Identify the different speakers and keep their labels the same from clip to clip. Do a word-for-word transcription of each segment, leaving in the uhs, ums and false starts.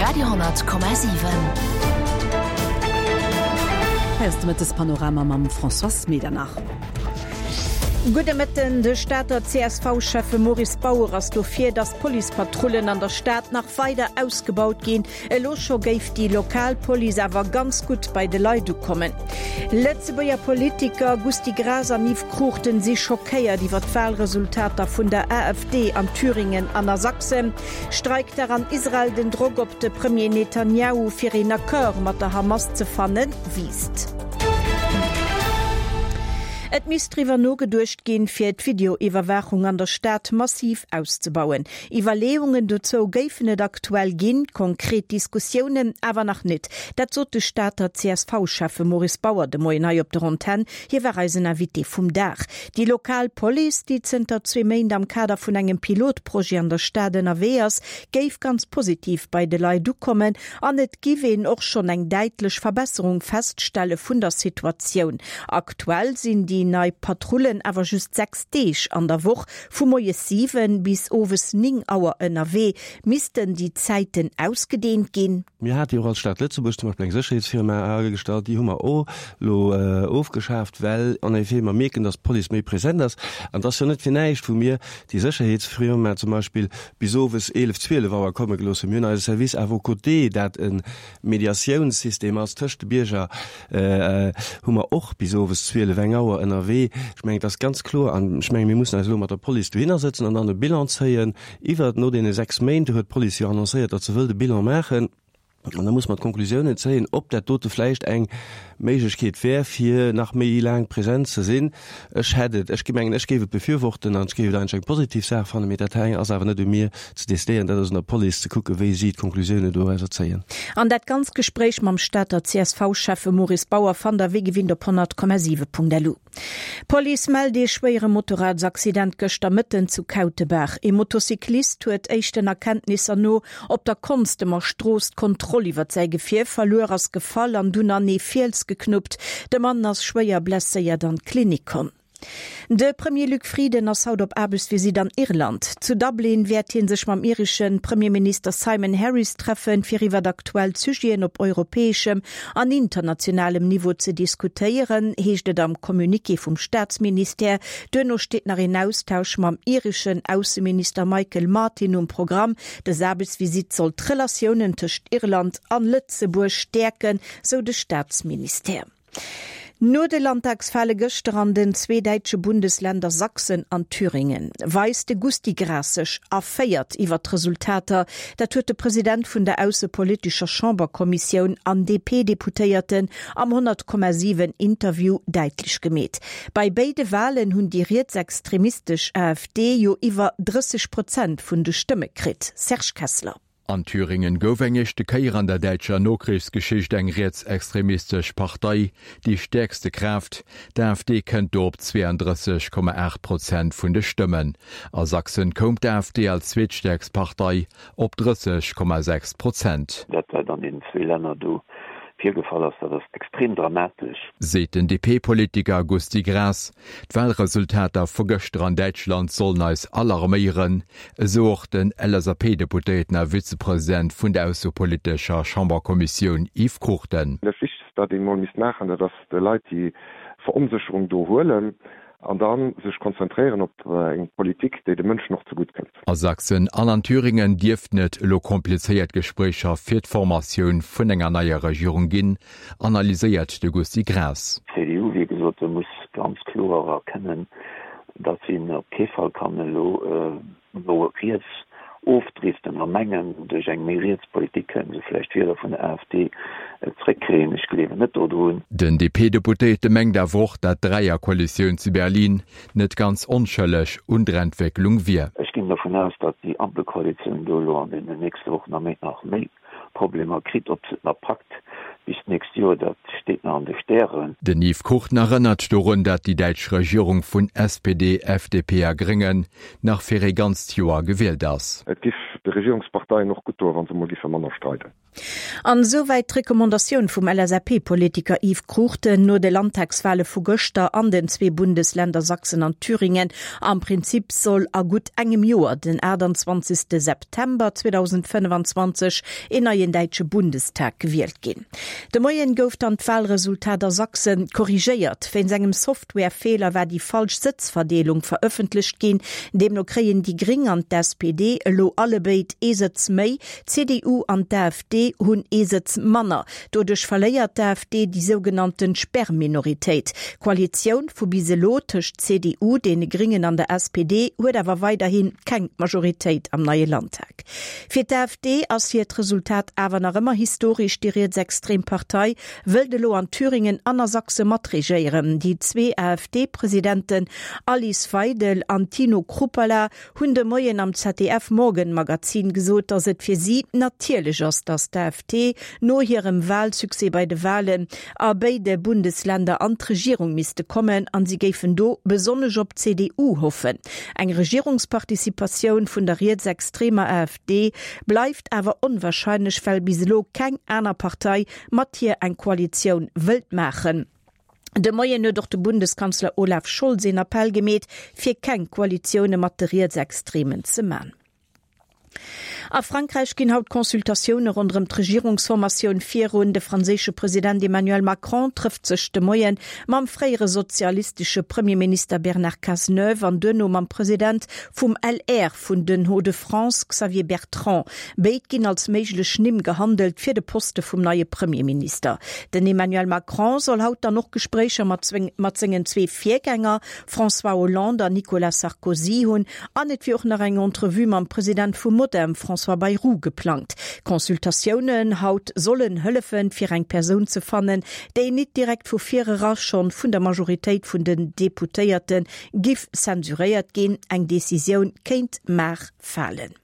Speaker 1: Radio honnert Komma siwen.
Speaker 2: Hei ass de Mëttespanorama mam Françoise Medernach.
Speaker 3: Gudde Mëtten, De Stater C S V-Schäffe Maurice Bauer ass dofir, datt d'Policepatrullen an der Stad nach weider ausgebaut ginn. Elo scho géif déi lokal Police awer ganz gutt bei de Leit ukommen. Lëtzebuerger Politiker Gusty Graas an Yves Cruchten si schockéiert iwwer d'Walresultater vun der A F D an Thüringen an a Sachsen. Streikdag an Israel, den Drock op de Premier Netanjahu fir een Accord mat der Hamas ze fannen, wiisst. Et misst driwwer nogeduecht ginn, fir d'Videoiwwerwaachung an der Stad massiv auszebauen. Iwwerleeungen dozou géifen et aktuell ginn, konkret Diskussiounen awer nach net. Dat sot de Stater C S V-Schäffe Maurice Bauer de Moien hei op der Antenn. Hie war eisen Invité vum Dag. Déi lokal Police, déi zënter zwee Méint am Kader vun engem Pilotprojet an der Stad ënnerwee ass, géif ganz positiv bei de Leit ukommen an et géif een och schonn eng däitlech Verbesserung feststelle vun der Situatioun. Aktuell sinn déi nei Patrullen awer just sechs Deeg an der Woch vu moies siwen bis owes néng Auer ënnerwee. Missten déi Zäiten ausgedeent ginn?
Speaker 4: Mir hate jo och als Stad Lëtzebuerg zum Beispill eng Sécherheetsfirma agestallt, déi hu mer och elo ofgeschaaft, well en effet mer mierken, dass d'Police méi present ass. An et ass jo net fir näischt, wou mir déi Sécherheetsfirma zum Beispill bis owes eelef, zwielef Auer komme gelooss hunn. Mir hunn eise Service à vos côtés, dat e Mediatiounssystem ass tëscht de Bierger, hu mer och bis owes zwielef, eng Auer ënnerwee. Ech mengen, et ass ganz kloer, an ech mengen, mir mussen eis elo mat der Police dohinner sëtzen an dann e Bilan zéien iwwert no deene sechs Méint. Do huet d'Police jo annoncéiert, datt se wëllt e Bilan maachen. An da muss mer d'Konklusiounen zéien, ob dat dote vläicht eng Méiglechkeet wär, fir nach méi laang present ze sinn. Ech hätt et, ech mengen, ech géif et befürworten an ech géif et eigentlech eng positiv Saach fannen, mee dat hei ass awer net u mir ze decidéieren, dat ass un der Police ze kucken, wéi si d'Konklusiounen dorauser zéien.
Speaker 3: An dat ganz Gespréich mam Stater C S V-Schäffe Maurice Bauer fannt der wéi gewinnt op honnert Komma siwe Punkt lu. D'Police mellt ee schwéiere Motorradsaccident gëschter Mëtten zu Kautebaach. Ee Motocyclist huet éischten Erkenntnisser no op der Konstemer Strooss d'Kontroll iwwer säi Gefier verluer, ass gefall an dunn an ee Fiels geknuppt. De Mann ass schwéier blesséiert an d'Klinik komm. De Premier Luc Frieden ass haut op Aarbechtsvisitt an Irland. Zu Dublin wäert hie sech mam iresche Premierminister Simon Harris treffen, fir iwwer aktuell Sujeten op europäeschem an internationalem Niveau ze diskutéieren, heescht et am Communiqué vum Staatsministère. Duerno steet nach een Austausch mam ireschen Ausseminister Michael Martin um Programm. Dës Aarbechtsvisitt soll d'Relatiounen tëscht Irland an Lëtzebuerg stäerken, sou de Staatsministère. No de Landtagswale gëschter an den zwee däitsche Bundesländer Sachsen an Thüringen weist de Gusty Graas sech erféiert iwwer d'Resultater. Dat huet de President vun der aussepolitescher Chamberkommissioun an D P-Deputéierten am honnert Komma siwen Interview däitlech gemeet. Bei béide Walen hunn déi rietsextremistesch A F D jo iwwer drësseg Prozent vun de Stëmme kritt. Serge Kessler.
Speaker 5: An Thüringen gouf eng éischte Kéier an der däitscher Nokrichsgeschicht eng rietsextremistesch Partei déi stäerkste Kraaft. D'A F D kënnt do op zweiunddrësseg Komma aacht Prozent vun de Stëmmen. A Sachsen koum d'A F D als zweetstäerkst Partei op drësseg Komma sechs Prozent.
Speaker 6: Dat wat an den zwee Länner do virgefall ass, dat ass extrem dramatesch.
Speaker 5: Seet den D P-Politiker Gusty Graas. D'Walresultater vu gëschter an Däitschland sollen eis alarméieren, esou och den L S A P-Deputéierten a Vizepresident vun der aussepolitescher Chamberkommissioun Yves Cruchten.
Speaker 7: Dat Wichtegst, wat een emol misst maachen, dat ass de Leit déi Veronsécherung do huelen an da sech konzentréieren op eng Politik, déi de Mënschen och zegutt kënnt.
Speaker 5: A Sachsen an an Thüringen dierften et elo komplizéiert Gespréicher fir d'Formatioun vun enger neier Regierung ginn, analyséiert de Gusty Graas.
Speaker 6: D C D U, wéi gesot, muss ganz kloer erkennen, datt si op kee Fall kann elo no riets ofdriften a mengen, duerch eng méi riets Politik kënnen se vläicht Wieler vun der A F D zréckkréien. Ech gleewen net dodrun.
Speaker 5: Den D P-Deputéierte mengt awer och, datt d'Dräierkoalitioun zu Berlin net ganz onschëlleg un der Entwécklung wier.
Speaker 6: Ech ginn dovun aus, datt déi Ampelkoalitioun do elo an den nächste Wochen a Méint nach méi Problemer kritt. Ob se et nach packt bis d'nächst Joer, dat steet nach an de Stären.
Speaker 5: Den Yves Cruchten erënnert dorun, datt déi däitsch Regierung vun S P D, F D P a Gréngen nach fir ee ganzt Joer gewielt ass.
Speaker 7: Et giff de Regierungsparteien och gutt doen, wa se emol géife manner streiden.
Speaker 3: An esouwäit d'Recommandatioun vum L S A P-Politiker Yves Cruchten no de Landtagswale vu gëschter an den zwee Bundesländer Sachsen an Thüringen. Am Prinzip soll a gutt engem Joer, den aachtanzwanzegste September zweedausendfënnefenzwanzeg, een neien däitsche Bundestag gewielt ginn. De Moien gouf dann d'Walresultat a Sachsen korrigéiert. Wéinst engem Softwarefeeler war déi falsch Sëtzverdeelung verëffentlecht ginn. Deemno kréien déi Gréng an d'S P D elo allebéid ee Sëtz méi, d'C D U an d'A F D hunn ee Sëtz manner. Doduerch verléiert d'A F D déi sougenannten Sperrminoritéit. D'Koalitioun vu bis elo tëscht C D U, deene Gréngen an der S P D huet awer weiderhi keng Majoritéit am neie Landtag. Fir d'A F D ass hiert Resultat awer nach ëmmer historesch. Déi rietsextrem Partei wëllt elo an Thüringen an a Sachse matregéieren. Déi zwee A F D-Presidenten Alice Weidel an Tino Chrupalla hunn de Moien am Z D F-Morgenmagazin gesot, datt et fir si natierlech ass, datt d'A F D no hirem Walsuccès bei de Walen a béide Bundesländer an d'Regierung misste kommen an si géifen do besonnesch op d'C D U hoffen. Eng Regierungsparticipatioun vun der rietsextremer A F D bleift awer onwarscheinlech, well bis elo keng aner Partei mat hir eng Koalitioun wëllt maachen. De Moien huet och de Bundeskanzler Olaf Scholz een Appell gemeet, fir keng Koalitioune mat de Rietsextremen ze man. A Frankräich ginn haut d'Consultatioune ronderëm d'Regierungsformatioun virun. De franséische President Emmanuel Macron trëfft sech de Moien mam fréiere sozialistesche Premierminister Bernard Cazeneuve an duerno mam President vum L R vun den Hauts-de-France Xavier Bertrand. Béid ginn als méiglech Nimm gehandelt fir de Poste vum neie Premierminister. Den Emmanuel Macron soll haut dann och Gespréicher mat sengen zwee Virgänger François Hollande an Nicolas Sarkozy hunn an et wier och nach eng Entrevue mam President vum Modem François Bayrou geplangt. Consultatiounen haut sollen hëllefen, fir eng Persoun ze fannen, déi net direkt vu virera schonn vun der Majoritéit vun den Deputéierte giff censuréiert ginn. Eng Decisioun kéint mar falen.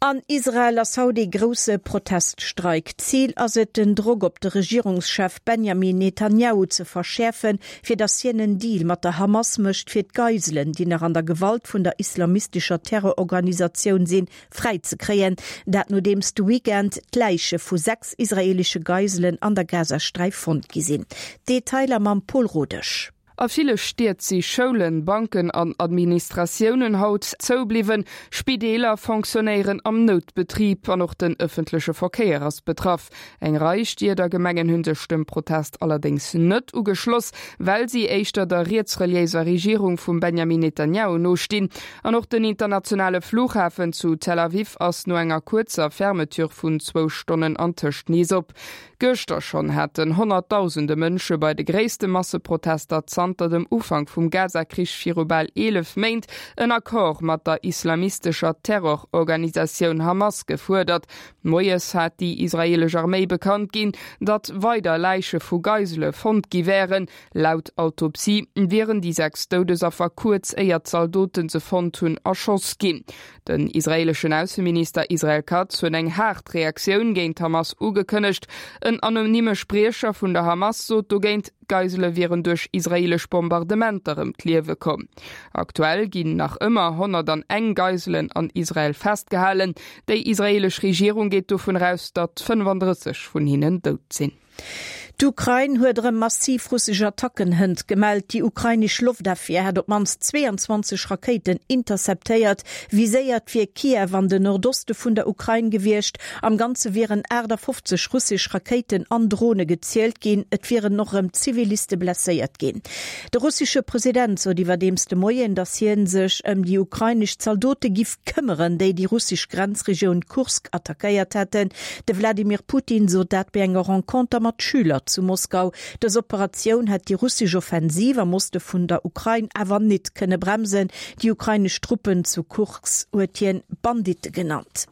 Speaker 3: An Israel ass haut ee grousse Proteststreik. Zil ass et, den Drock op de Regierungschef Benjamin Netanjahu ze verschäerfen, fir datt hien en Deal mat der Hamas mécht, fir d'Geiselen, déi nach an der Gewalt vun der islamistescher Terrororganisatioun sinn, fräizekréien. Dat nodeems de Weekend d'Läiche vu sechs israeelesche Geiselen an der Gazasträif fonnt gi sinn. Detailer mam Paul Rodesch.
Speaker 1: A ville Stied si Schoulen, Banken an Administratiounen haut zoubliwwen, Spideeler fonctionnéieren am Noutbetrib an och den ëffentleche Verkéier ass betraff. Eng Rei Stied a Gemengen hunn sech dem Protest allerdéngs net ugeschloss, well si éischter der rietsreliéiser Regierung vum Benjamin Netanjahu nostinn. An och den internationale Flughafen zu Tel Aviv ass no enger kuerzer Fermeture vun zwou Stonnen antëscht nees op. Gëschter schonn haten Honnertdausende Mënsche bei de gréisste Masseprotester zanter dem Ufank vum Gazakrich viru bal eelef Méint en Accord mat der islamistescher Terrororganisatioun Hamas gefuerdert. Moies hat déi israeelesch Arméi bekannt ginn, datt weider Läiche vu Geisele fonnt gi wären. Laut Autopsie wieren déi sechs Doudesaffer kuerz éier d'Zaldoten se fonnt hunn erschoss ginn. Den israeeleschen Ausseminister Israel Katz huet eng haart Reaktioun géint d'Hamas ugekënnegt. En anonyme Spriecher vun der Hamas sot dogéint, Geisele wieren duerch israeelesch Bombardementer ëm d'Liewe komm. Aktuell ginn nach ëmmer honnerteng Geiselen an Israel festgehalen. Déi israeelesch Regierung geet dovun aus, datt fënnefandrësseg vun hinnen dout sinn.
Speaker 3: D'Ukrain huet erëm massiv russesch Attacken hënt gemellt. Déi ukrainesch Loftofwier hätt op d'mannst zweeanzwanzeg Rakéiten interceptéiert. Viséiert wier Kiew an den Nordoste vun der Ukrain gewiescht. Am Ganze wieren aachtafofzeg russesch Rakéiten an Drone gezielt ginn. Et wieren och erëm Ziviliste blesséiert ginn. De russesche President sot iwwerdeems de Moien, datt hie sech ëm déi ukrainesch Zaldote giff këmmeren, déi déi russesch Grenzregioun Kursk attackéiert hätten. De Wladimir Putin sot dat bei enger Renconter mat Schüler zu Moskau. Dës Operatioun hätt déi russesch Offensiv am Oste vun der Ukrain awer net kënne bremsen. Déi ukrainesch Truppen zu Kursk huet hien Banditte genannt.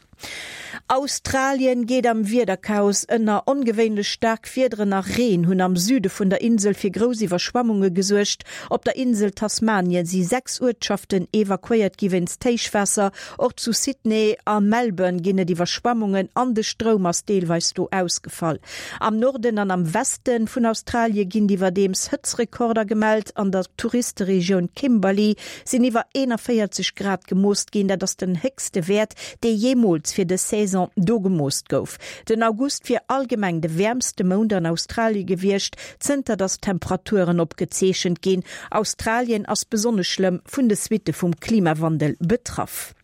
Speaker 3: Australien geet am Wiederchaos ënner. Ongewéinlech staark Wiederen a Reen hunn am Süde vun der Insel fir grouss Iwwerschwemmunge gesuergt. Op der Insel Tasmanien si sechs Uertschaften evakuéiert gi wéinst Héichwaasser. Och zu Sydney a Melbourne ginn et Iwwerschwemmungen an de Stroum ass deelweis do ausgefall. Am Norden an am Weste vun Australie ginn iwwerdeems Hëtztrekorder gemellt. An der Touristeregioun Kimberley sinn iwwer eenanvéierzeg Grad gemooss ginn, dat ass den héchste Wäert, dee jeemools fir dës Saison do gemooss gouf. Den August wier allgemeng de wäermste Mount an Australie gewiescht, zënter datt d'Temperaturen opgezeechent ginn. Australien ass besonnesch schlëmm vun de Suitte vum Klimawandel betraff.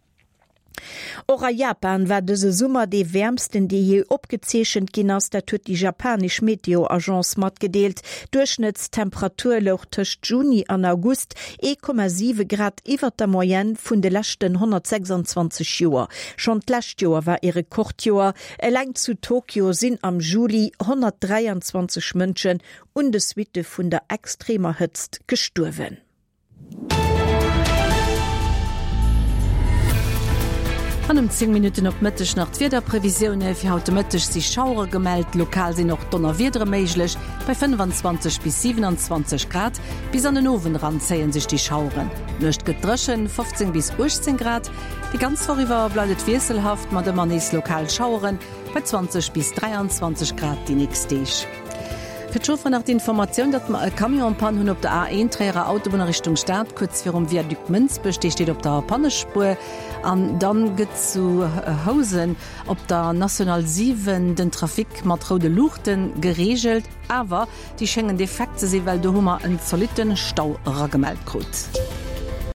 Speaker 3: Och a Japan war dëse Summer dee wäermsten, dee jee opgezeechent ginn ass. Dat huet déi japanesch Meteo-Agence matgedeelt. D'Duerchschnëttstemperatur louch tëscht Juni an August ee Komma siwe Grad iwwert der Moyenne vun de leschten honnertsechsundzwanzeg Joer. Schonn d'lescht Joer war ee Rekordjoer. Eleng zu Tokio sinn am Juli honnertdräianzwanzeg Mënschen un de Suitte vun der extremer Hëtzt gestuerwen.
Speaker 2: An ëm zéng Minutten op Mëtteg nach d'Wiederprevisioune, Fir haut de Mëtteg si Schauere gemellt, lokal sinn och Donnerwiedere méiglech bei fënnefanzwanzeg bis siwenanzwanzeg Grad. Bis an den Owend eran zéie sech déi Schaueren. D'Nuecht gëtt dréchen, fofzéng bis uechtzéng Grad. Déi ganz Woch iwwer bleift et wiesselhaft mat ëmmer nees lokal Schaueren bei zwanzeg bis dräianzwanzeg Grad déi nächst Deeg. Fir d'Chaufferen nach d'Informatioun, datt mer e Camion en Panne hunn op der A een Tréierer Autobunn a Richtung Stad, kuerz virum Viaduc Mënsbech. Dee steet op der Pannespuer. An dann gëtt zu Housen op der National siwen den Trafic mat roude Luuchte gereegelt. Awer déi schéngen defekt ze sinn, well do hu mer en zolitten Stau eragemellt krut.